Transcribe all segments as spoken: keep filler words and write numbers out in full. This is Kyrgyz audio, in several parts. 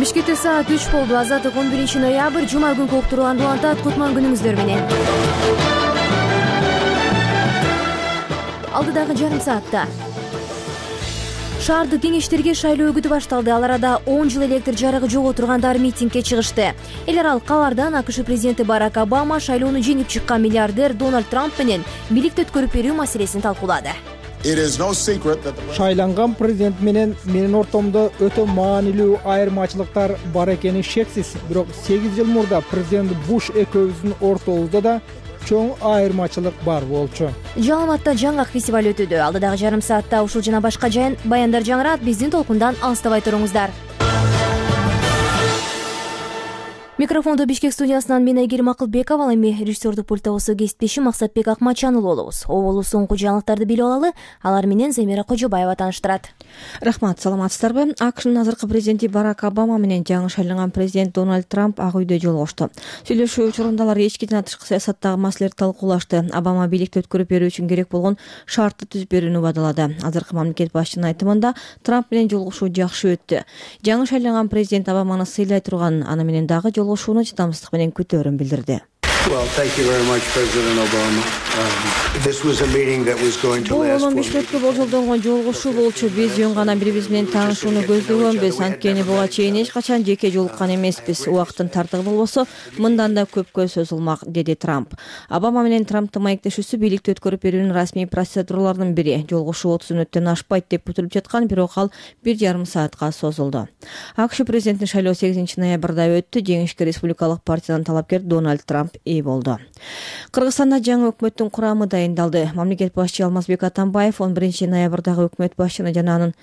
Бишкекте саат үч болду. Азаттык он биринчи ноябрь жума күнкү уктурууланды улантат. Кутман күнүңүздөр менен. Алдыдагы жарым саатта шаардык кеңештерге шайлоо үгүтү башталды. Ал арада он жыл электр жарыгы жок отургандар митингге чыгышты. Эл аралык кабардан АКШ президенти Барак Обама шайлоону жеңип чыккан миллиардер Дональд Трамп менен бийликти өткөрүп берүү маселесин талкуулады. Шайланган президент менен менин ортомдо өтө маанилүү айырмачылыктар бар экени шексиз. Бирок сегиз жыл мурда президент Буш экөөбүздүн ортобузда да чоң айырмачылык бар болчу. Жаламатта жаңгак фестиваль өтүүдө. Алдыдагы жарым саатта ушул жана башка жайын баяндар жаңырат. Биздин толкундан алыстабай туруңуздар. Микрофондо Бишкек студиясынан мен Айгерим Акылбекова, ал эми режиссердук пульттогусу кесиптешим Максатбек Акмачанұлы болобуз. Оболу соңку жаңылыктарды билип алалы. Алар менен Замира Кожобаева тааныштырат. Рахмат, саламатсыздарбы? АКШнын азыркы президенти Барак Обама менен жаңы шайланган президент Дональд Трамп ак үйдө жолугушту. Сүйлөшүү учурунда алар эчкиден тышкы саясаттагы маселелерди талкуулашты. Обама бийликти өткөрүп берүү үчүн керек болгон шартты түзүп берүүнү убадалады. Азыркы мамлекет башчынын айтымында Трамп менен жолугушуу жакшы өттү. Жаңы шайланган президент Обаманы сыйлай турганын, аны менен дагы жолугушууну чыдамсыздык менен күтөөрүн билдирди. Well, thank you very much, President Obama. Um, this was a meeting that was going to last on besh мүнөткө болжолдонгон жолугушуу болчу. Биз жөн гана бири-бирибиз менен таанышууну көздөгөнбүз. Анткени буга чейин эч качан жеке жолуккан эмеспиз. Убакыттын тартыгы болбосо, мындан да көпкө созулмак, деди Трамп. Обама менен Трамптын маектешүүсү бийликти өткөрүп берүүнүн расмий процедураларынын бири. Жолугушуу отуз мүнөттөн ашпайт деп күтүлүп жаткан, бирок ал бир жарым саатка созулду. АКШ президентинин шайлоо сегизинчи ноябрда өттү. Жеңишке республикалык партиядан талапкер Дональд Трамп болду. Кыргызстанда жаңы өкмөттүн курамы дайындалды. Мамлекет башчы Алмазбек Атамбаев он биринчи ноябрдагы өкмөт башчыны жана анын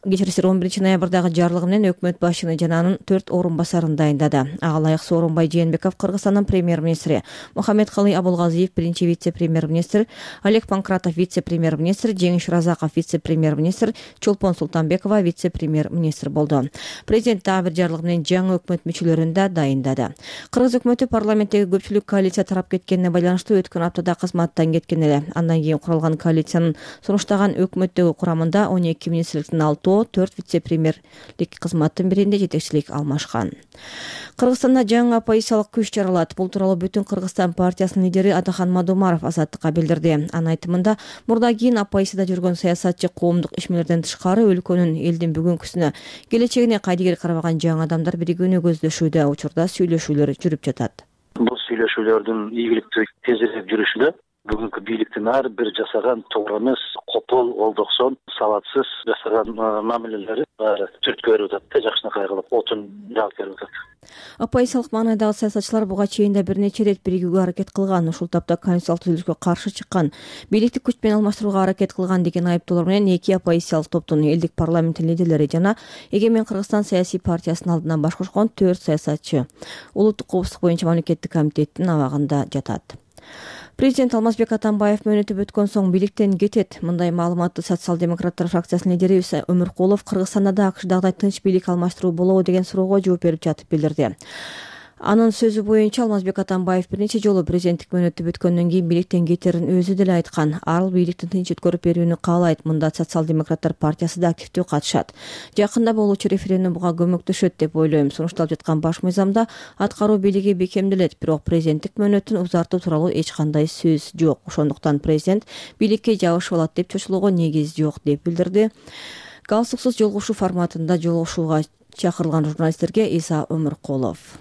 кечирисиз он биринчи ноябрдагы жарлыгы менен өкмөт башчыны жана анын төрт орун басарын дайындады. Ага ылайык Сооронбай Жээнбеков Кыргызстандын премьер-министри, Мухаммедкалый Абулгазиев биринчи вице-премьер-министр, Олег Панкратов вице-премьер-министр, Жеңиш Разаков вице-премьер-министр, Чолпон Султанбекова вице-премьер-министр болду. Президент дагы бир жарлыгы менен жаңы өкмөт мүчөлөрүн да дайындады. Кыргыз өкмөтү парламенттеги көпчүлүк коалиция тарап кеткенине байланыштуу өткөн аптада кызматтан кеткен эле. Андан кийин куралган коалициянын сунуштаган өкмөттөгү курамында он эки министрликтин алтоо, төрт вице-премьерлик кызматтын биринде жетекчилик алмашкан. Кыргызстанда жаңы оппозициялык күч жаралат. Бул тууралуу Бүтүн Кыргызстан партиясынын лидери Атахан Мадумаров Азаттыкка билдирди. Анын айтымында, мурда кийин оппозицияда жүргөн саясатчы коомдук ишмерлерден тышкары өлкөнүн элдин бүгүнкүсүнө, келечегине кайдыгер карабаган жаңы адамдар биригүүнү көздөшүүдө. Учурда сүйлөшүүлөр жүрүп жатат. Бул сүйлөшүүлөрдүн ийгиликтүү тезирээк жүрүшүндө бүгүнкү бийликтин ар бир жасаган туура эмес, копол, олдоксон, сабатсыз жасаган мамилелери баары түрткө берип атат, жакшынакай кылып отун жаап берип атат. Оппозициялык маанайдагы саясатчылар буга чейин да бир нече ирет биригүүгө аракет кылган, ушул тапта конституциялык түзүлүшкө каршы чыккан, бийликти күч менен алмаштырууга аракет кылган деген айыптоолор менен эки оппозициялык топтун элдик парламенттин лидерлери жана Эгемен Кыргызстан саясий партиясынын алдынан баш кошкон төрт саясатчы улуттук коопсуздук боюнча мамлекеттик комитеттин абагында жатат. Президент Алмазбек Атамбаев мөөнөтүп өткөн соң бийликтен кетет. Мындай маалыматты социал-демократтар фракциясынын лидери Өмүркулов Кыргызстанда да АКШдагыдай тынч бийлик алмаштыруу болобу деген суроого жооп берип жатып билдирди. Анын сөзү боюнча Алмазбек Атамбаев бир нече жолу президенттик мөөнөтүп өткөндөн кийин бийликтен кетерин өзү деле айткан. Ал бийликтин тынч өткөрүп берүүнү каалайт. Мында социал-демократтар партиясы да активдүү катышат. Жакында болуучу референдум буга көмөктөшөт деп ойлойм. Сунушталып жаткан баш мыйзамда аткаруу бийлиги бекемделет, бирок президенттик мөөнөтүн узартуу тууралуу эч кандай сөз жок. Ошондуктан президент бийликке жабышып алат деп чочулууга негиз жок, деп билдирди. Галстуксуз жолугушуу форматында жолугушууга чакырылган журналисттерге Иса Өмүркулов.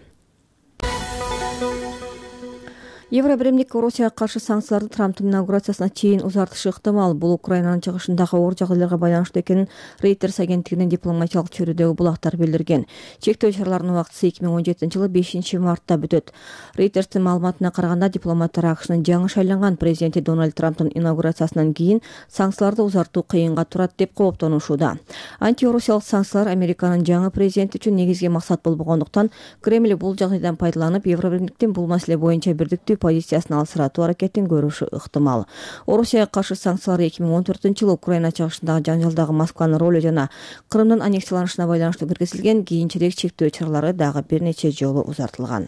Евробиримдик Россияга каршы санкцияларды Трамптын инаугурациясына чейин узартышы ыктымал. Бул Украинанын чыгышындагы оор жагдайларга байланыштуу экенин Reuters агенттигинин дипломатиялык чөйрөдөгү булактар билдирген. Чектөө чараларынын убактысы эки миң он жетинчи жылы бешинчи мартта бүтөт. Reuters'тин маалыматына караганда, дипломаттар АКШнын жаңы шайланган президенти Дональд Трамптын инаугурациясынан кийин санкцияларды узартуу кыйынга турат деп кооптонушууда. Антироссиялык санкциялар Американын жаңы президенти үчүн негизги максат болбогондуктан, Кремль бул жагдайдан пайдаланып, Евробиримдиктин бул маселе боюнча бирдиктүү позициясын алсыратуу аракетин көрүшү ыктымал. Орусияга каршы санкциялар эки миң он төртүнчү жылы Украина чыгышындагы жаңжалдагы Москванын ролу жана Крымдын аннексияланышына байланыштуу киргизилген кийинчерээк чектөө чаралары дагы бир нече жолу узартылган.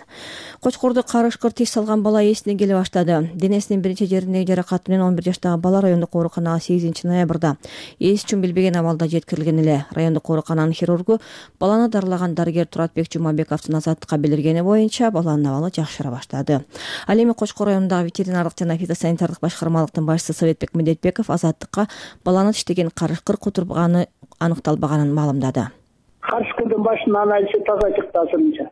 Кочкорду карышкыр тиш салган бала эсине келе баштады. Денесинин биринчи жериндеги жаракат менен он бир жаштагы бала райондук ооруканага сегизинчи ноябрда эс үчүн билбеген абалда жеткирилген эле. Райондук оорукананын хирургу баланы дарылаган дарыгер Туратбек Жумабековдун Азаттыкка билдиргени боюнча баланын абалы жакшыра баштады. Ал эми Кочкор районундагы ветеринардык жана фитосанитардык башкармалыктын башчысы Советбек Медетбеков Азаттыкка баланы тиштеген карышкыр кутурганы аныкталбаганын маалымдады. Карышкырдын башынын анализи таза чыкты азырынча.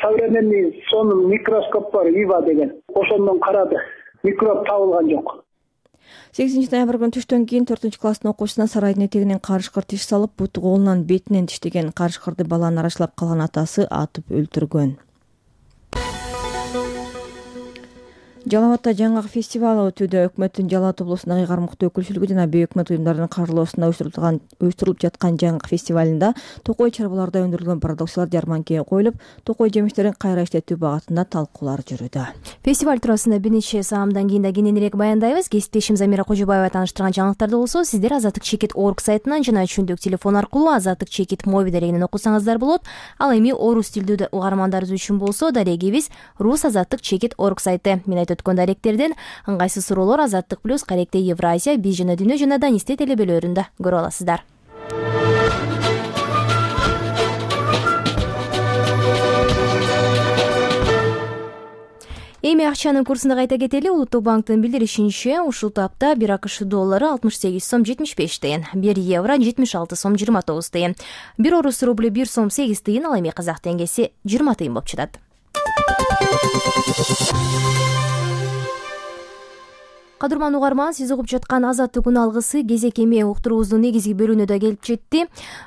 Современный сонун микроскоп бар, ИВА деген. Ошондон карады. Микроб табылган жок. сегизинчи ноябрь күнү түштөн кийин төртүнчү класстын окуучусуна сарайдын этегинен карышкыр тиш салып, буту колунан бетинен тиштеген карышкырды баланы арачылап калган атасы атып өлтүргөн. Жалал Абадта жаңгак фестивалы өтүүдө. Өкмөттүн Жалал Абад облусундагы кармыктуу өкүлчүлүгү жана бейөкмөт уюмдардын каржылоосунда уюштурулуп жаткан жаңгак фестивалында токой чарбаларда өндүрүлгөн продукциялар жарманкеге коюлуп, токой жемиштерин кайра иштетүү багытында талкуулар жүрүүдө. Фестиваль туурасында бир нече саамдан кийин да кененирээк баяндайбыз. Кесиптешим Замира Кожобаева тааныштырган жаңылыктарды болсо, сиздер Азаттык чекит точка орг сайтынан жана чүндүк телефон аркылуу Азаттык чекит моби дарегинен окусаңыздар болот. Ал эми орус тилдүү угармандарыбыз үчүн болсо, дарегибиз рус азаттык чекит точка орг сайты. Мен айтып өткөн даректерден ыңгайсыз суроолор Азаттык плюс Каректе Евразия, Биз жана Дүйнө жана Данисте телебелөрүндө көрө аласыздар. Эми акчанын курсунда кайта кетели. Улуттук банктын билдиришинче, ушул тапта бир АКШ доллары алтымыш сегиз сом жетимиш беш тыйын, бир евро жетимиш алты сом жыйырма тогуз тыйын, бир орус рубль бир сом сегиз тыйын, ал эми казак теңгеси жыйырма тыйын болуп чыгат. Кадырман угарман, сиз угуп жаткан Азаттык күн алгысы кезек эми уктуруубуздун негизги бөлүгүнө да келип жетти.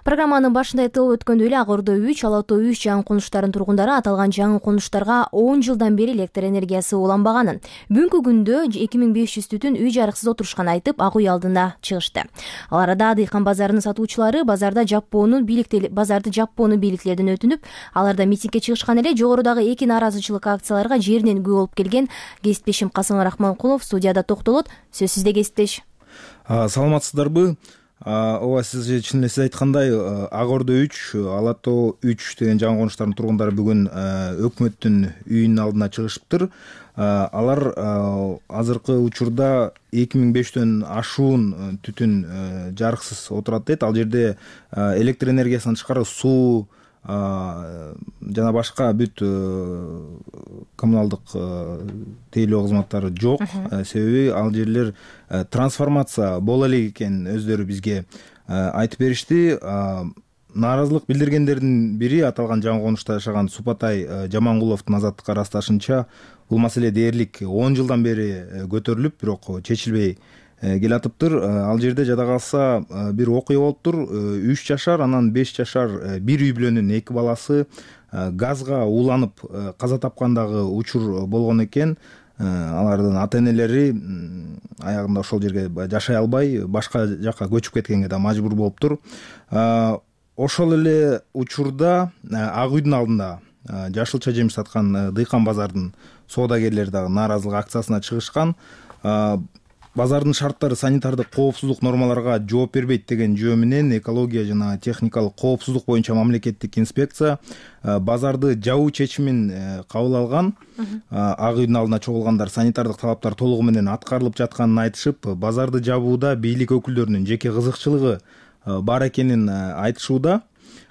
Программанын башында айтылып өткөндөй эле Ак Ордо үч, Ала Тоо үч жаңы конуштарынын тургундары аталган жаңы конуштарга он жылдан бери электр энергиясы уланбаганын, бүгүнкү күндө эки миң беш жүз түтүн үй жарыксыз отурушкан айтып, ак үй алдына чыгышты. Ал арада Дыйкан базарынын сатуучулары базарда жаппоонун бийликтери базарды жаппоону бийликтерден өтүнүп, аларда митингге чыгышкан эле. Жогорудагы эки нааразычылык акцияларга жеринен күбө болуп келген кесиптешим Касым Рахманкулов студияда токтолот. Сөз сизде, кесиптеш. Саламатсыздарбы? Ооба, сиз чын эле сиз айткандай, Ак Ордо үч, Ала Тоо үч деген жаңы конуштардын тургундары бүгүн өкмөттүн үйүнүн алдына чыгышыптыр. Алар азыркы учурда эки миң беш жүздөн ашуун түтүн жарыксыз отурат дейт. Ал жерде электр энергиясынан тышкары суу жана башка бүт коммуналдык тейлөө кызматтары жок. Себеби ал жерлер трансформация боло элек экен өздөрү бизге айтып беришти. Нааразылык билдиргендердин бири аталган жаңы конушта жашаган Супатай Жамангуловдун Азаттыкка ырасташынча, бул маселе дээрлик он жылдан бери көтөрүлүп, бирок чечилбей келатыптыр. Ал жерде жада калса бир окуя болуптур. үч жашар, анан беш жашар бир үй бүлөнүн эки баласы газга ууланып каза тапкандагы учур болгон экен. Алардын ата энелери аягында ошол жерге жашай албай, башка жакка көчүп кеткенге да мажбур болуптур. Ошол эле учурда Ак үйдүн алдында жашылча жемиш саткан Дыйкан базардын соодагерлери дагы нааразылык акциясына чыгышкан. Базардын шарттары санитардык коопсуздук нормаларга жооп бербейт деген жөө менен экология жана техникалык коопсуздук боюнча мамлекеттик инспекция базарды жабуу чечимин кабыл алган. Ак үйдүн алдына чогулгандар санитардык талаптар толугу менен аткарылып жатканын айтышып, базарды жабууда бийлик өкүлдөрүнүн жеке кызыкчылыгы бар экенин айтышууда.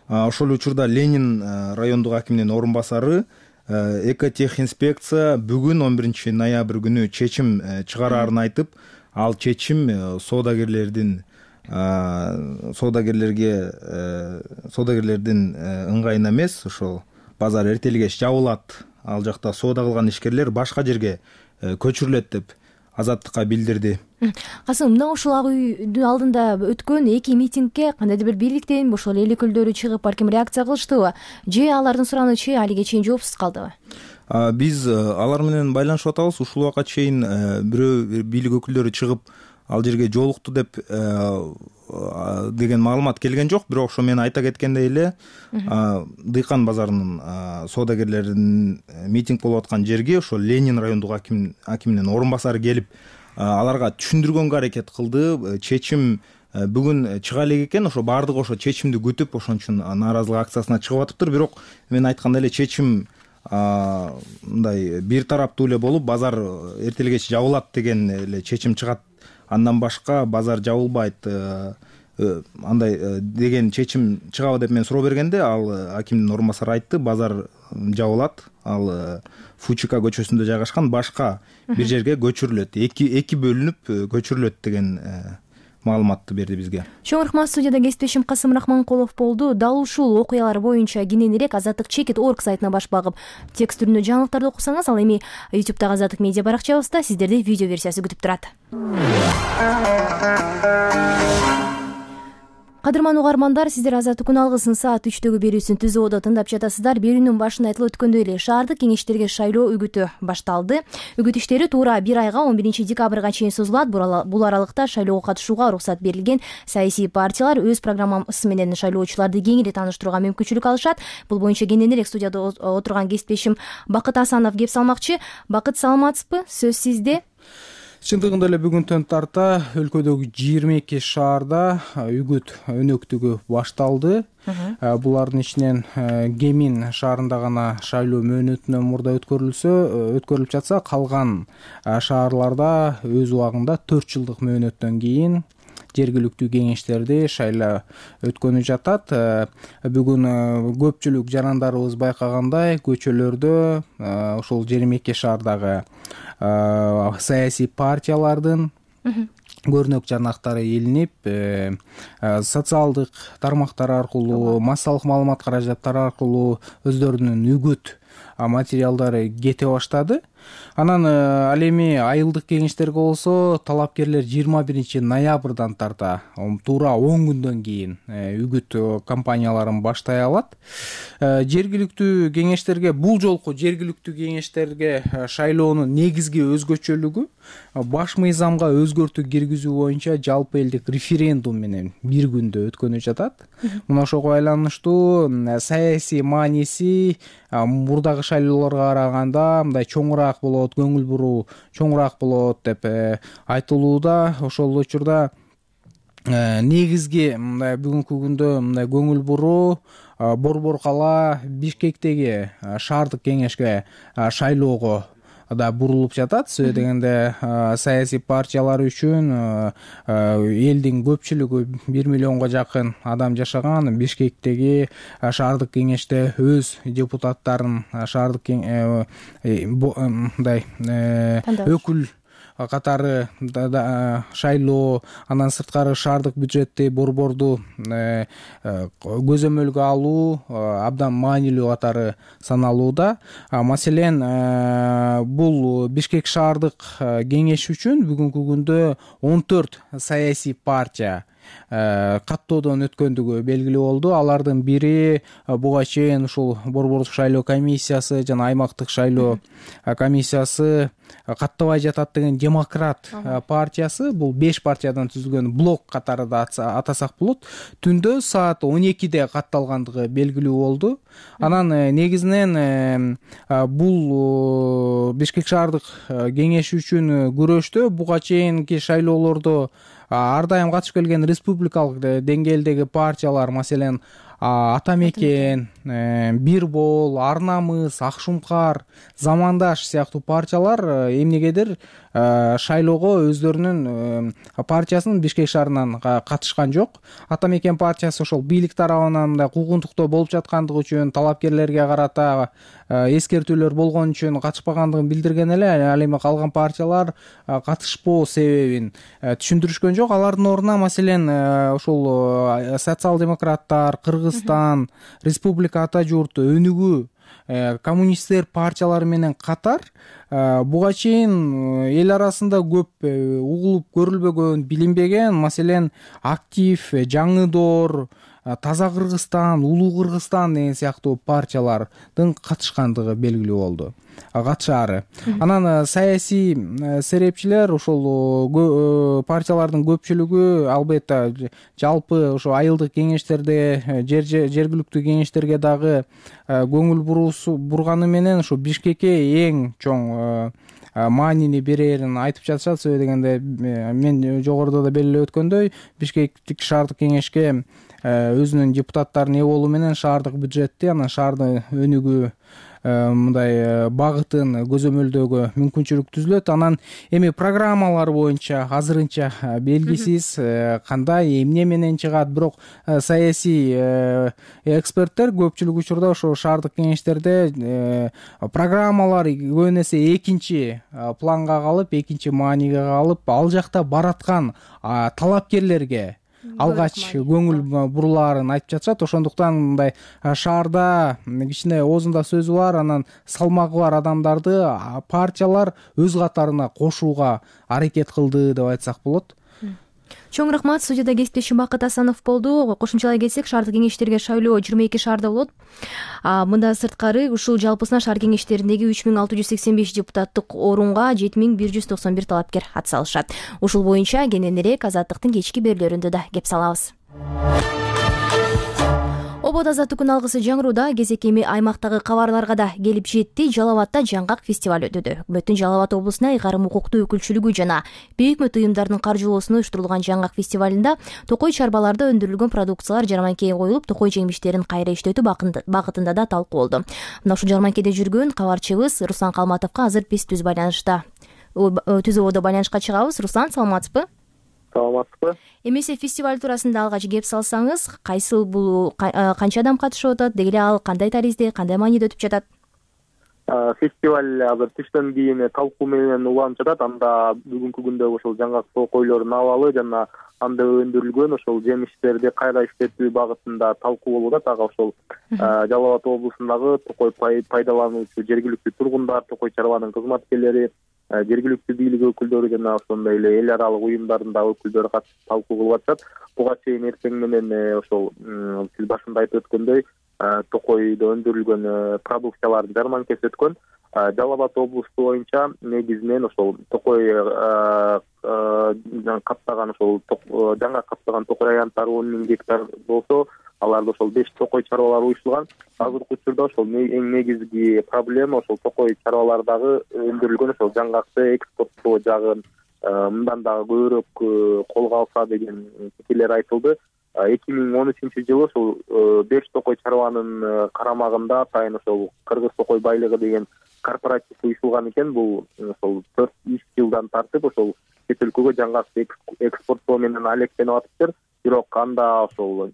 Ошол учурда Ленин райондук акиминин орун басары Экотехинспекция бүгүн он биринчи ноябрь күнү чечим чыгараарын айтып, ал чечим соодагерлердин соодагерлерге соодагерлердин ыңгайына эмес, ошол базар эртелгеч жабылат, ал жакта соода кылган ишкерлер башка жерге көчүрүлөт деп Азаттыкка билдирди. Касым, мына ушул Ак үйдүн алдында өткөн эки митингге кандайдыр бир бийликтен ошол эл өкүлдөрү чыгып балким реакция кылыштыбы? Же алардын суранычы алиге чейин жоопсуз калдыбы? Биз алар менен байланышып атабыз. Ушул убакка чейин бирөө бийлик өкүлдөрү чыгып ал жерге жолукту деп деген маалымат келген жок. Бирок ошо мен айта кеткендей эле Дыйкан базарынын соодагерлеринин митинг болуп аткан жерге ошо Ленин райондук аким акиминин орун басары келип аларга түшүндүргөнгө аракет кылды. Чечим бүгүн чыга элек экен, ошо баардыгы ошо чечимди күтүп ошон үчүн нааразылык акциясына чыгып атыптыр. Бирок мен айткандай эле чечим мындай бир тараптуу эле болуп, базар эртең кеч жабылат деген эле чечим чыгат. Андан башка базар жабылбайт андай деген чечим чыгабы деп мен суроо бергенде, ал акимдин орун басары айтты, базар жабылат, ал Фучика көчөсүндө жайгашкан, башка бир жерге көчүрүлөт, эки эки бөлүнүп көчүрүлөт деген маалыматты берди бизге. Чоң рахмат. Студияда кесиптешим Касым Рахманкулов болду. Дал ушул окуялар боюнча кененирээк Азаттык чекит точка орг сайтына баш багып текст түрүндө жаңылыктарды окусаңыз, ал эми YouTube'дагы Азаттык медиа баракчабызда сиздерди видео версиясы күтүп турат. Кадырман угармандар, сиздер Азаттык алгысын саат үчтөгү берүүсүн Түз Ободо тыңдап жатасыздар. Берүүнүн башында айтылып өткөндөй эле шаардык кеңештерге шайлоо үгүтү башталды. Үгүт иштери туура бир айга он биринчи декабрга чейин созулат. Бул аралыкта шайлоого катышууга уруксат берилген саясий партиялар өз программасы менен шайлоочуларды кеңири тааныштырууга мүмкүнчүлүк алышат. Бул боюнча кененирээк студияда отурган кесиптешим Бакыт Асанов кеп салмакчы. Бакыт, саламатсызбы? Сөз сизде. Чындыгында эле бүгүнтөн тарта өлкөдөгү жыйырма эки шаарда үгүт өнөктүгү башталды. Булардын ичинен Кемин шаарында гана шайлоо мөөнөтүнөн мурда өткөрүлсө, өткөрүлүп жатса, калган шаарларда өз убагында төрт жылдык мөөнөттөн кийин жергиликтүү кеңештерди шайлоо өткөнүп жатат. Бүгүн көпчүлүк жарандарыбыз байкагандай, көчөлөрдө ошол жыйырма эки шаардагы саясий партиялардын көрнөк жарнактары илинип, социалдык тармактар аркылуу, массалык маалымат каражаттары аркылуу өздөрүнүн үгүт материалдары кете баштады. Анан ал эми айылдык кеңештерге болсо, талапкерлер жыйырма биринчи ноябрдан тарта туура он күндөн кийин үгүт кампанияларын баштай алат. Жергиликтүү кеңештерге, бул жолку жергиликтүү кеңештерге шайлоонун негизги өзгөчөлүгү баш мыйзамга өзгөртүү киргизүү боюнча жалпы элдик референдум менен бир күндө өткөнүп жатат. Мына ошого байланыштуу саясий мааниси мурдагы шайлоолорго караганда мындай чоңураак болот, көңүл буруу чоңураак болот деп айтылууда. Ошол учурда негизги мындай бүгүнкү күндө мындай көңүл буруу Борбор кала Бишкектеги шаардык кеңешке шайлоого да бурулуп жатат. Себеби дегенде саясий партиялар үчүн элдин көпчүлүгү бир миллионго жакын адам жашаган Бишкектеги шаардык кеңеште өз депутаттарын шаардык мындай өкүл катары шайлоо, андан сырткары шаардык бюджетти борборду көзөмөлгө алуу абдан маанилүү катары саналууда. Маселен, бул Бишкек шаардык кеңеш үчүн бүгүнкү күндө он төрт саясий партия каттоодон өткөндүгү белгилүү болду. Алардын бири буга чейин ушул борбордук шайлоо комиссиясы жана аймактык шайлоо комиссиясы каттабай жатат деген Демократ партиясы. Бул беш партиядан түзүлгөн блок катары да атасак болот. Түндө саат он экиде катталгандыгы белгилүү болду. Анан негизинен бул Бишкек шаардык кеңеши үчүн күрөштө буга чейинки шайлоолордо ар дайым катышып келген республикалык деңгээлдеги партиялар, маселен Атамекен, Бирбол, Ар намыс, Ак шумкар, Замандаш сыяктуу партиялар эмнегедир шайлоого өздөрүнүн партиясынын Бишкек шаарынан катышкан жок. Атамекен партиясы ошол бийлик тарабынан мындай куугунтуктоо болуп жаткандыгы үчүн, талапкерлерге карата эскертүүлөр болгон үчүн катышпагандыгын билдирген эле. Ал эми калган партиялар катышпоо себебин түшүндүрүшкөн жок. Алардын ордуна маселен ошол социал-демократтар, Кыргызстан, Республика Ата журт, Өнүгүү, коммунисттер партиялары менен катар буга чейин эл арасында көп угулуп көрүлбөгөн, билинбеген, маселен Актив, Жаңы Доор, Таза Кыргызстан, Улуу Кыргызстан деген сыяктуу партиялардын катышкандыгы белгилүү болду, катышаары. Анан саясий серепчилер ошол партиялардын көпчүлүгү албетте жалпы ошо айылдык кеңештерде, жергиликтүү кеңештерге дагы көңүл бурганы менен ошо Бишкекке эң чоң маанини берерин айтып жатышат. Себеби дегенде мен жогоруда да белгилеп өткөндөй, Бишкектик шаардык кеңешке өзүнүн депутаттарынын ээ болуу менен шаардык бюджетти, анан шаардын өнүгүү мындай багытын көзөмөлдөөгө мүмкүнчүлүк түзүлөт. Анан эми программалар боюнча азырынча белгисиз кандай эмне менен чыгат, бирок саясий эксперттер көпчүлүк учурда ошо шаардык кеңештерде программалар көбүн эсе экинчи планга калып, экинчи мааниге калып, ал жакта бараткан талапкерлерге алгач көңүл бурулаарын айтып жатышат. Ошондуктан мындай шаарда кичине оозунда сөзү бар, анан салмагы бар адамдарды партиялар өз катарына кошууга аракет кылды деп айтсак болот. Чоң рахмат. Студияда кесиптешим Бакыт Асанов болду. Кошумчалай кетсек, шаардык кеңештерге шайлоо жыйырма эки шаарда болот. Мындан сырткары ушул жалпысына шаар кеңештериндеги үч миң алты жүз сексен беш депутаттык орунга жети миң бир жүз токсон бир талапкер ат салышат. Ушул боюнча кененирээк Азаттыктын кечки берүүлөрүндө да кеп салабыз. Обод Азаттыктын алгысы жаңырууда кезек эми аймактагы кабарларга да келип жетти. Жалал абадта жаңгак фестиваль өтүүдө. Өкмөттүн Жалал абад облусуна ыйгарым укуктуу өкүлчүлүгү жана бейөкмөт уюмдардын каржылоосуна уюштурулган жаңгак фестивалында токой чарбаларда өндүрүлгөн продукциялар жарманкеге коюлуп, токой жемиштерин кайра иштетүү багытында да талкуу болду. Мына ушул жарманкеде жүргөн кабарчыбыз Руслан Калматовго азыр биз түз байланышта түз ободо байланышка чыгабыз. Руслан, саламатсызбы? Саламатсызбы? Эмесе фестиваль туурасында алгач кеп салсаңыз, кайсыл бул, канча адам катышып атат, деги эле ал кандай таризде, кандай мааниде өтүп жатат? Фестиваль азыр түштөн кийин талкуу менен уланып жатат. Анда бүгүнкү күндө ошол жаңгак токойлордун абалы жана анда өндүрүлгөн ошол жемиштерди кайра иштетүү багытында талкуу болуп атат. Ага ошол Жалал абад облусундагы токой пайдалануучу жергиликтүү тургундар, токой чарбанын кызматкерлери, жергиликтүү бийлик өкүлдөрү жана ошондой эле эл аралык уюмдардын дагы өкүлдөрү катышып талкуу кылып атышат. Буга чейин эртең менен ошол сиз башында айтып өткөндөй токойдо өндүрүлгөн продукциялардын жарманкеси өткөн. Жалал абад облусу боюнча негизинен ошол токой каптаган ошол жаңа каптаган токой аянттары он миң гектар болсо, аларда ошол беш токой чарбалар уюштурулган. Азыркы учурда ошол эң негизги проблема ошол токой чарбалардагы өндүрүлгөн ошол жаңгакты экспорттоо жагын мындан дагы көбүрөөк колго алса деген пикирлер айтылды. эки миң он үчүнчү жылы ошол беш токой чарбанын карамагында атайын ошол Кыргыз токой байлыгы деген корпоратив уюштурулган экен. Бул ошол төрт үч жылдан тартып ошол чет өлкөгө жаңгакты экспорттоо менен алектенип атыптыр. Бирок анда ошол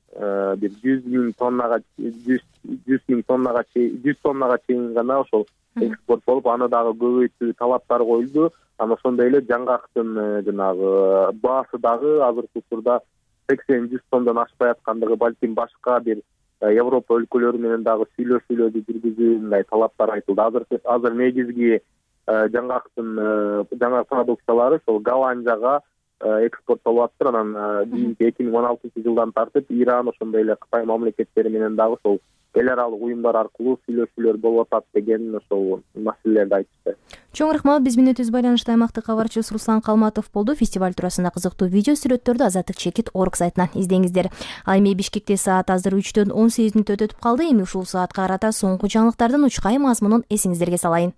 бир жүз миң тоннага жүз миң тоннага жүз тоннага чейин гана ошол экспорт болуп, аны дагы көбөйтүү талаптар коюлду. Анан ошондой эле жаңгактын жанагы баасы дагы азыркы учурда сексен жүз тоннодон ашпай аткандыгы, балким башка бир Европа өлкөлөрү менен дагы сүйлөшүүлөрдү жүргүзүү мындай талаптар айтылды. Азыр азыр негизги жаңгактын жаңа продукциялары ошол Голландияга экспорттолуп атыптыр. Анан кийинки эки миң он алтынчы жылдан тартып Иран, ошондой эле Кытай мамлекеттери менен дагы ошол эл аралык уюмдар аркылуу сүйлөшүүлөр болуп атат деген ошол маселелерди айтышты. Чоң рахмат. Биз менен түз байланышта аймактык кабарчыбыз Руслан Калматов болду. Фестиваль туурасында кызыктуу видео сүрөттөрдү Азаттык чекит орг сайтынан издеңиздер. Ал эми Бишкекте саат азыр үчтөн он сегиз мүнөт өтүп калды. Эми ушул саатка карата соңку жаңылыктардын учкай мазмунун эсиңиздерге салайын.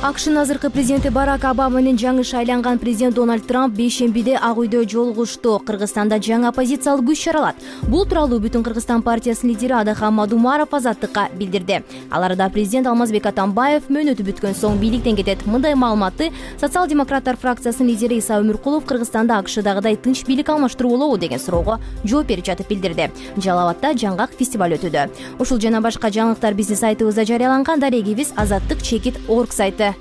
АКШнын азыркы президенти Барак Обама менен жаңы шайланган президент Дональд Трамп бейшембиде Ак үйдө жолугушту. Кыргызстанда жаңы оппозициялык күч чаралат. Бул тууралуу Бүтүн Кыргызстан партиясынын лидери Адахан Мадумаров Азаттыкка билдирди. Ал арада президент Алмазбек Атамбаев мөөнөтү бүткөн соң бийликтен кетет. Мындай маалыматты социал-демократтар фракциясынын лидери Иса Өмүркулов Кыргызстанда АКШдагыдай тынч бийлик алмаштыруу болобу деген суроого жооп берип жатып билдирди. Жалал абадта жаңгак фестиваль өтүүдө. Ушул жана башка жаңылыктар биздин сайтыбызда жарыяланган. Дарегибиз Азаттык чекит орг сайты.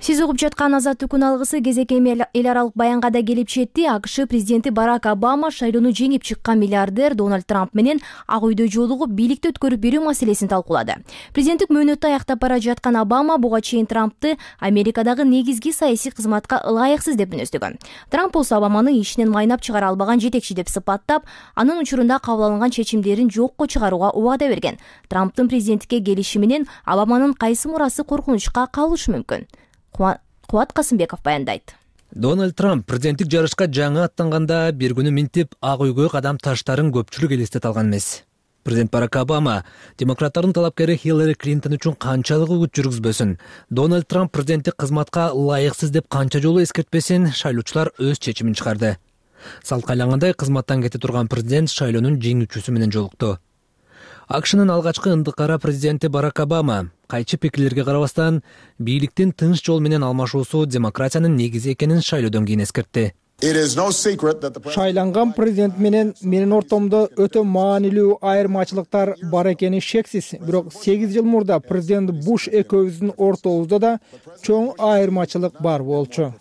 Сиз угуп жаткан Азаттык күн алгысы кезекти эл аралык баянга да келип жетти. АКШ президенти Барак Обама шайлоону жеңип чыккан миллиардер Дональд Трамп менен Ак үйдө жолугуп бийликти өткөрүп берүү маселесин талкуулады. Президенттик мөөнөттү аяктап бара жаткан Обама буга чейин Трампты Америкадагы негизги саясий кызматка ылайыксыз деп мүнөздөгөн. Трамп болсо Обаманы ишинен майнап чыгара албаган жетекчи деп сыпаттап, анын учурунда кабыл алынган чечимдерин жокко чыгарууга убада берген. Трамптын президенттикке келиши менен Обаманын кайсы мурасы коркунучка калышы мүмкүн? Кубат Касымбеков баяндайт. Дональд Трамп президенттик жарышка жаңы аттанганда бир күнү минтип Ак үйгө кадам таштарын көпчүлүк элестете алган эмес. Президент Барак Обама демократтардын талапкери Хиллари Клинтон үчүн канчалык үгүт жүргүзбөсүн, Дональд Трамп президенттик кызматка ылайыксыз деп канча жолу эскертпесин, шайлоочулар өз чечимин чыгарды. Салткайлангандай кызматтан кете турган президент шайлоонун жеңүүчүсү менен жолукту. АКШнын алгачкы ындыкара президенти Барак Обама кайчы пикирлерге карабастан бийликтин тынч жол менен алмашуусу демократиянын негизи экенин шайлоодон кийин эскертти. Шайланган президент менен менин ортомдо өтө маанилүү айырмачылыктар бар экени шексиз. Бирок сегиз жыл мурда президент Буш экөөбүздүн ортобузда да чоң айырмачылык бар болчу.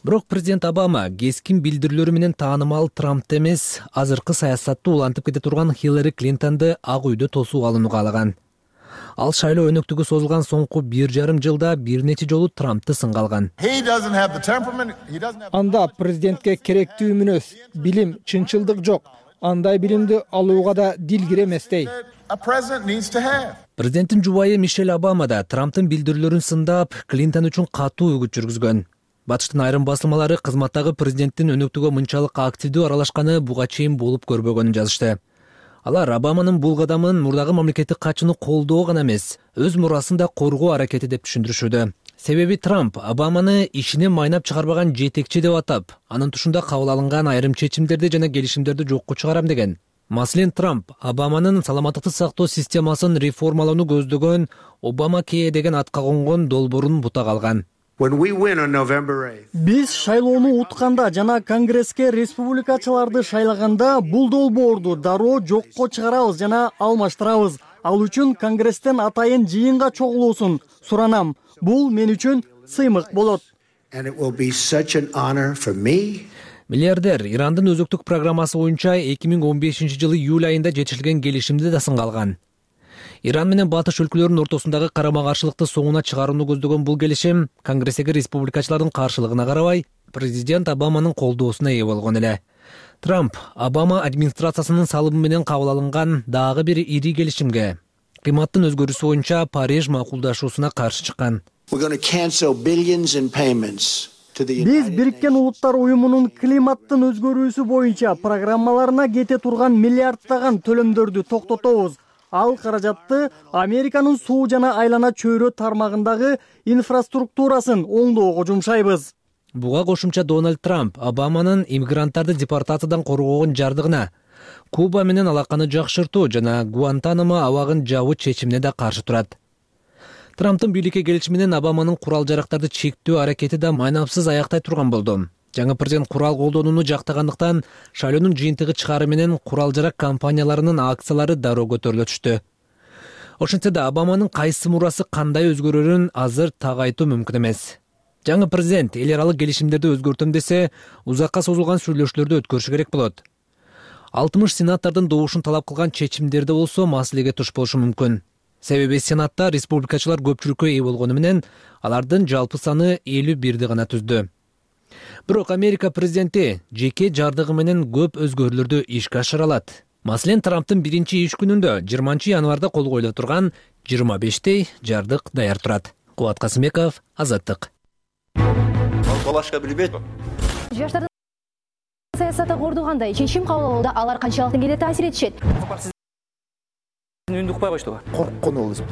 Бирок президент Обама кескин билдирүүлөрү менен таанымал Трампты эмес, азыркы саясатты улантып кете турган Хиллари Клинтонду Ак үйдө тосуп алууну каалаган. Ал шайлоо өнөктүгү созулган соңку бир жарым жылда бир нече жолу Трампты сынга алган. Анда президентке керектүү мүнөз, билим, чынчылдык жок. Андай билимди алууга да дилгир эместей. Президенттин жубайы Мишель Обама да Трамптын билдирүүлөрүн сындап, Клинтон үчүн катуу үгүт жүргүзгөн. Батыштын айрым басылмалары кызматтагы президенттин өнөктүгө мынчалык активдүү аралашканы буга чейин болуп көрбөгөнүн жазышты. Алар Обаманын бул кадамын мурдагы мамлекеттик катчыны колдоо гана эмес, өз мурасын да коргоо аракети деп түшүндүрүшүүдө. Себеби Трамп Обаманы ишинен майнап чыгарбаган жетекчи деп атап, анын тушунда кабыл алынган айрым чечимдерди жана келишимдерди жокко чыгарам деген. Маселен, Трамп Обаманын саламаттыкты сактоо системасын реформалоону көздөгөн Обамакея деген атка конгон долбоорун бутак алган. Биз шайлоону утканда жана Конгресске республикачыларды шайлаганда бул долбоорду дароо жокко чыгарабыз жана алмаштырабыз. Ал үчүн Конгресстен атайын жыйынга чогулуусун суранам. Бул мен үчүн сыймык болот. Миллиардер Ирандын өзөктүк программасы боюнча эки миң он бешинчи жылы июль айында жетишилген келишимди да сынга алган. Иран менен батыш өлкөлөрүнүн ортосундагы карама-каршылыкты соңуна чыгарууну көздөгөн бул келишим Конгресстеги республикачылардын каршылыгына карабай, президент Обаманын колдоосуна ээ болгон эле. Трамп Обама администрациясынын салымы менен кабыл алынган дагы бир ири келишимге, климаттын өзгөрүүсү боюнча Париж макулдашуусуна каршы чыккан. Биз Бириккен Улуттар уюмунун климаттын өзгөрүүсү боюнча программаларына кете турган миллиарддаган төлөмдөрдү токтотобуз. Ал каражатты Американын суу жана айлана чөйрө тармагындагы инфраструктурасын оңдоого жумшайбыз. Буга кошумча Дональд Трамп Обаманын иммигранттарды депортациядан коргоогон жардыгына, Куба менен алаканы жакшыртуу жана Гуантанамо абагын жабуу чечимине да каршы турат. Трамптын бийликке келиши менен Обаманын курал-жарактарды чектөө аракети да майнапсыз аяктай турган болду. Жаңы президент курал колдонууну жактагандыктан шайлоонун жыйынтыгы чыгары менен курал-жарак компанияларынын акциялары дароо көтөрүлө түштү. Ошентсе да Обаманын кайсы мурасы кандай өзгөрөрүн азыр так айтуу мүмкүн эмес. Жаңы президент эл аралык келишимдерди өзгөртөм десе, узакка созулган сүйлөшүүлөрдү өткөрүшү керек болот. алтымыш сенаттардын добушун талап кылган чечимдерде болсо маселеге туш болушу мүмкүн. Себеби Сенатта республикачылар көпчүлүккө ээ болгону менен алардын жалпы саны элүү бирди гана түздү. Бирок Америка президенти жеке жардыгы менен көп өзгөрүүлөрдү ишке ашыра алат. Маселен, Трамптын биринчи иш күнүндө жыйырманчы январда кол коюла турган жыйырма бештей жардык даяр турат. Кубат Касымбеков, Азаттык. Балашка билбейт. Жаштардын саясатты кордогандай чечим кабыл алууда алар канчалык келе таасир этишет? Үндү укпай коштуга. Корккон болду деп.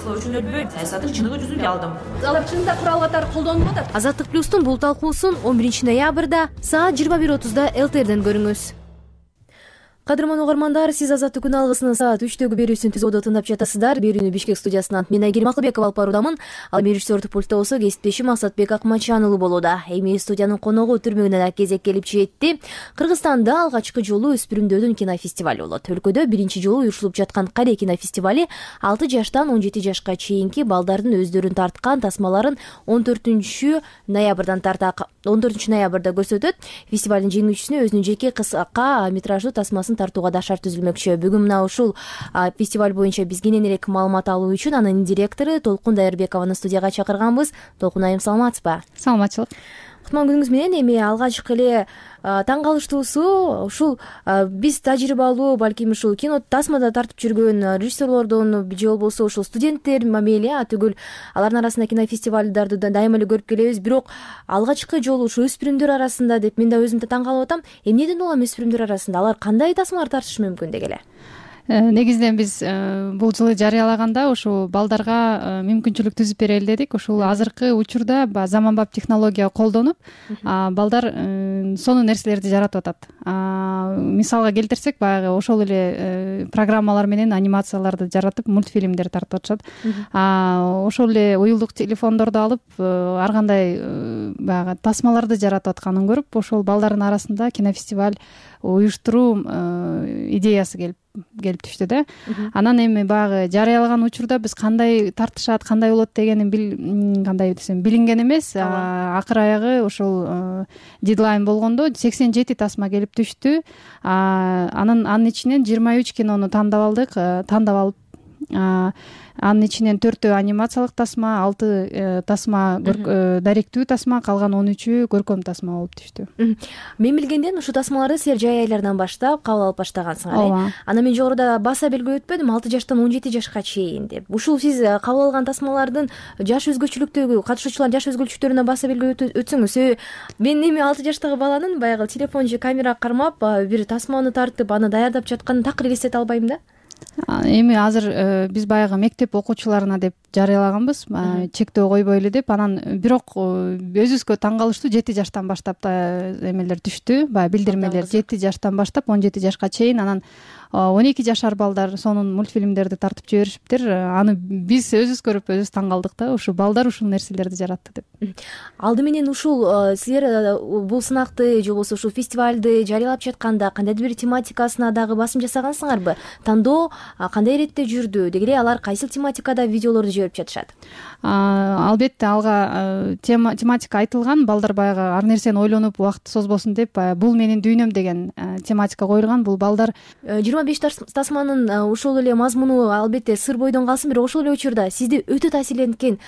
Слоучун өтпөйт, саясаттын чыныгы жүзүн алдым. Алар чынында курал катары колдонуп атат. Азаттык плюстун бул талкуусун он биринчи ноябрда саат жыйырма бир отузда эл тэ эрден көрүңүз. кадырман угармандар, сиз Азаттык күн алгысынын саат үчтөгү берүүсүн түзүүдө тыңдап жатасыздар. Берүүнү Бишкек студиясынан мен Айгерим Акылбекова алып баруудамын. Ал режиссердик пультта болсо кесиптешим Асатбек Акмачан уулу болууда. Эми студиянын коногу түрмөгүнө да кезек келип жетти. Кыргызстанда алгачкы жолу өспүрүмдөрдүн кинофестивали болот. Өлкөдө биринчи жолу уюштурулуп жаткан Каре кинофестивали алты жаштан он жети жашка чейинки балдардын өздөрүн тарткан тасмаларын он төртүнчү ноябрдан тарта он төртүнчү ноябрда көрсөтөт. Фестивалдын жеңүүчүсүнө өзүнүн жеке кыска метраждуу тасмасын тартууга да шарт түзүлмөкчү. Бүгүн мына ушул фестиваль боюнча биз кененирээк маалымат алуу үчүн анын директору Толкун Дайырбекованы студияга чакырганбыз. Толкун айым, саламатсызбы? Саламатчылык. Кутман күнүңүз менен. Эми алгачкы эле таң калыштуусу ушул биз тажрыйбалуу, балким ушул кино тасмада тартып жүргөн режиссерлордон же болбосо ушул студенттер мамели түгүл алардын арасында кинофестивалдарды да дайыма эле көрүп келебиз. Бирок алгачкы жолу ушу өспүрүмдөр арасында деп мен да өзүм да таң калып атам. Эмнеден улам өспүрүмдөр арасында алар кандай тасмалар тартышы мүмкүн деги эле? Негизинен биз бул жылы жарыялаганда ушул балдарга мүмкүнчүлүк түзүп берели дедик. Ушул азыркы учурда заманбап технология колдонуп балдар сонун нерселерди жаратып атат. Мисалга келтирсек, баягы ошол эле программалар менен анимацияларды жаратып, мультфильмдер тартып атышат. Ошол эле уюлдук телефондорду алып, ар кандай баягы тасмаларды жаратып атканын көрүп, ошол балдардын арасында кинофестиваль уюштуруу идеясы келип келип түштү да. Анан эми баягы жарыялаган учурда биз кандай тартышат, кандай болот дегенин кандай десем билинген эмес. Акыр аягы ошол дедлайн болгондо сексен жети тасма келип түштү. Анын анын ичинен жыйырма үч кинону тандап алдык, тандап алып анын ичинен төртөө анимациялык тасма, алты тасма даректүү тасма, калган он үчү көркөм тасма болуп түштү. Мен билгенден ушул тасмаларды силер жай айлардан баштап кабыл алып баштагансыңар. Анан мен жогоруда баса белгилеп өтпөдүм, алты жаштан он жети жашка чейин деп. Ушул сиз кабыл алган тасмалардын жаш өзгөчөлүктөгү, катышуучулардын жаш өзгөчөлүктөрүнө баса белгилеп өтсөңүз. Себеби мен эми алты жаштагы баланын баягы телефон же камера кармап бир тасманы тартып аны даярдап жатканын такыр элестете албайм да. Эми азыр биз баягы мектеп окуучуларына деп жарыялаганбыз, чектөө койбой эле деп. Анан бирок өзүбүзгө таң калыштуу, жети жаштан баштап эмелер түштү, баягы билдирмелер жети жаштан баштап он жети жашка чейин. Анан он эки жашар балдар сонун мультфильмдерди тартып жиберишиптир. Аны биз өзүбүз көрүп өзүбүз таң калдык да, ушул балдар ушул нерселерди жаратты деп. Алды менен ушул силер бул сынакты же болбосо ушул фестивалды жарыялап жатканда кандайдыр бир тематикасына дагы басым жасагансыңарбы? Тандоо кандай иретте жүрдү? Дегеле алар кайсыл тематикада видеолорду жиберип жатышат? Албетте алга тематика айтылган. Балдар баягы ар нерсени ойлонуп убакыт созбосун деп, бул менин дүйнөм деген тематика коюлган. Бул балдар жыйырма беш тасманын ошол эле мазмуну албетте сыр бойдон калсын, бирок ошол эле учурда сизди өтө таасирленткен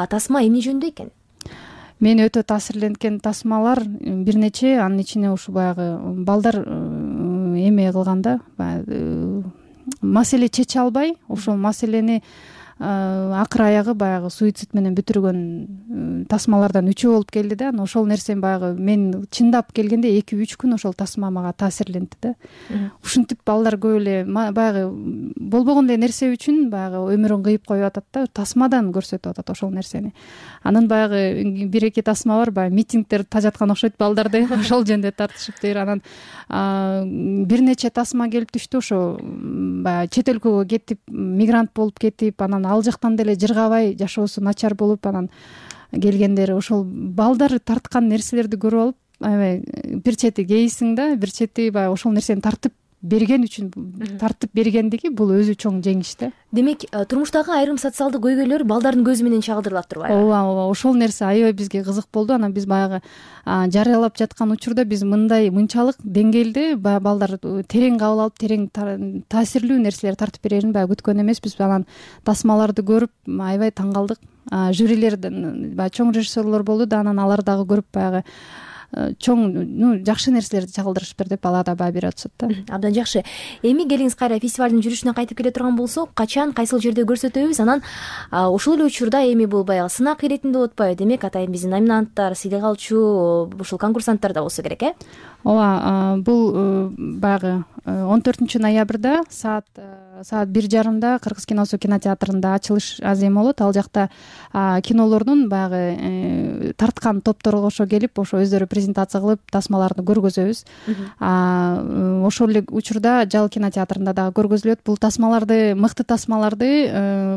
тасма эмне жөнүндө экен? Мени өтө таасирленткен тасмалар бир нече. Анын ичине ушу баягы балдар эме кылганда, баягы маселе чече албай, ошол маселени акыр аягы баягы суицид менен бүтүргөн тасмалардан үчөө болуп келди да. Анан ошол нерсени баягы мен чындап келгенде эки үч күн ошол тасма мага таасирленди да. Ушинтип балдар көп эле баягы болбогон эле нерсе үчүн баягы өмүрүн кыйып коюп атат да, тасмадан көрсөтүп атат ошол нерсени. Анан баягы бир эки тасма бар, баягы митингдер тажаткан окшойт балдарды, ошол жөнүндө тартышыптыр. Анан бир нече тасма келип түштү, ошо баягы чет өлкөгө кетип, мигрант болуп кетип, анан ал жактан деле жыргабай жашоосу начар болуп анан келгендер. Ошол балдар тарткан нерселерди көрүп алып, аябай бир чети кейисиң да, бир чети баягы ошол нерсени тартып берген үчүн, тартып бергендиги бул өзү чоң жеңиш да. Демек, турмуштагы айрым социалдык көйгөйлөр балдардын көзү менен чагылдырылат турбайбы? Ооба, ооба, ошол нерсе аябай бизге кызык болду. Анан биз баягы жарыялап жаткан учурда биз мындай мынчалык деңгээлде баягы балдар терең кабыл алып, терең таасирлүү нерселер тартып берерин баягы күткөн эмеспиз. Анан тасмаларды көрүп аябай таң калдык. Жюрилерден баягы чоң режиссерлор болду да, анан алар дагы көрүп баягы чоң, ну, жакшы нерселерди чагылдырышыптыр деп алар да баа берип атышат да. Абдан жакшы. Эми келиңиз кайра фестивалдын жүрүшүнө кайтып келе турган болсок, качан, кайсыл жерде көрсөтөбүз? Анан ошол эле учурда эми бул баягы сынак иретинде болуп атпайбы? Демек, атайын биздин номинанттар, сыйлык алчу ушул конкурсанттар да болсо керек, э? Ооба, бул баягы он төртүнчү ноябрда саат саат бир жарымда Кыргыз киносу кинотеатрында ачылыш азем болот. Ал жакта кинолордун баягы тарткан топтору кошо келип, ошо өздөрү презентация кылып тасмаларды көргөзөбүз. Ошол эле учурда Жал кинотеатрында дагы көргөзүлөт. Бул тасмаларды, мыкты тасмаларды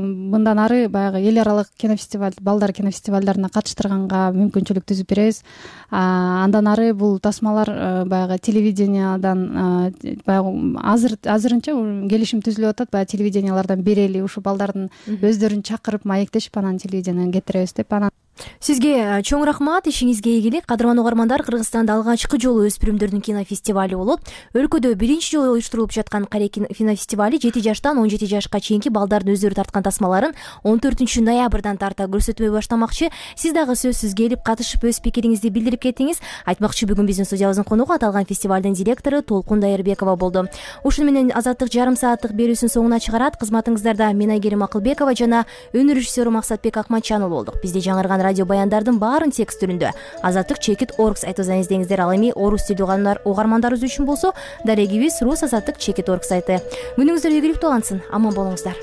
мындан ары баягы эл аралык кинофестиваль, балдар кинофестивалдарына катыштырганга мүмкүнчүлүк түзүп беребиз. Андан ары бул тасмалар баягы телевидениядан баягы азыр азырынча келишим түзүлүп атат. Баягы телевидениялардан берели, ушу балдардын өздөрүн чакырып маектешип анан телевиденияден кетиребиз деп. Анан Сизге чоң рахмат, ишиңизге ийгилик. Кадырман угармандар, Кыргызстанда алгачкы жолу өспүрүмдөрдүн кинофестивали болот. Өлкөдө биринчи жолу уюштурулуп жаткан Каре кинофестивали жети жаштан он жети жашка чейинки балдардын өздөрү тарткан тасмаларын он төртүнчү ноябрдан тарта көрсөтмөй баштамакчы. Сиз дагы сөзсүз келип катышып өз пикириңизди билдирип кеттиңиз. Айтмакчы, бүгүн биздин студиябыздын конугу аталган фестивалдын директору Толкун Дайырбекова болду. Ушуну менен Азаттык жарым сааттык берүүсүн соңуна чыгарат. Кызматыңыздарда мен Айгерим Акылбекова жана өнөр режиссеру Максатбек Акматчанов болдук. Бизде жаңырган радио баяндардын баарын текст түрүндө азаттык чекит орг сайтыбыздан издеңиздер. Ал эми орус тилдүү угармандарыбыз үчүн болсо дарегибиз рус азаттык чекит орг сайты. Күнүңүздөр ийгиликтүү улансын. Аман болуңуздар.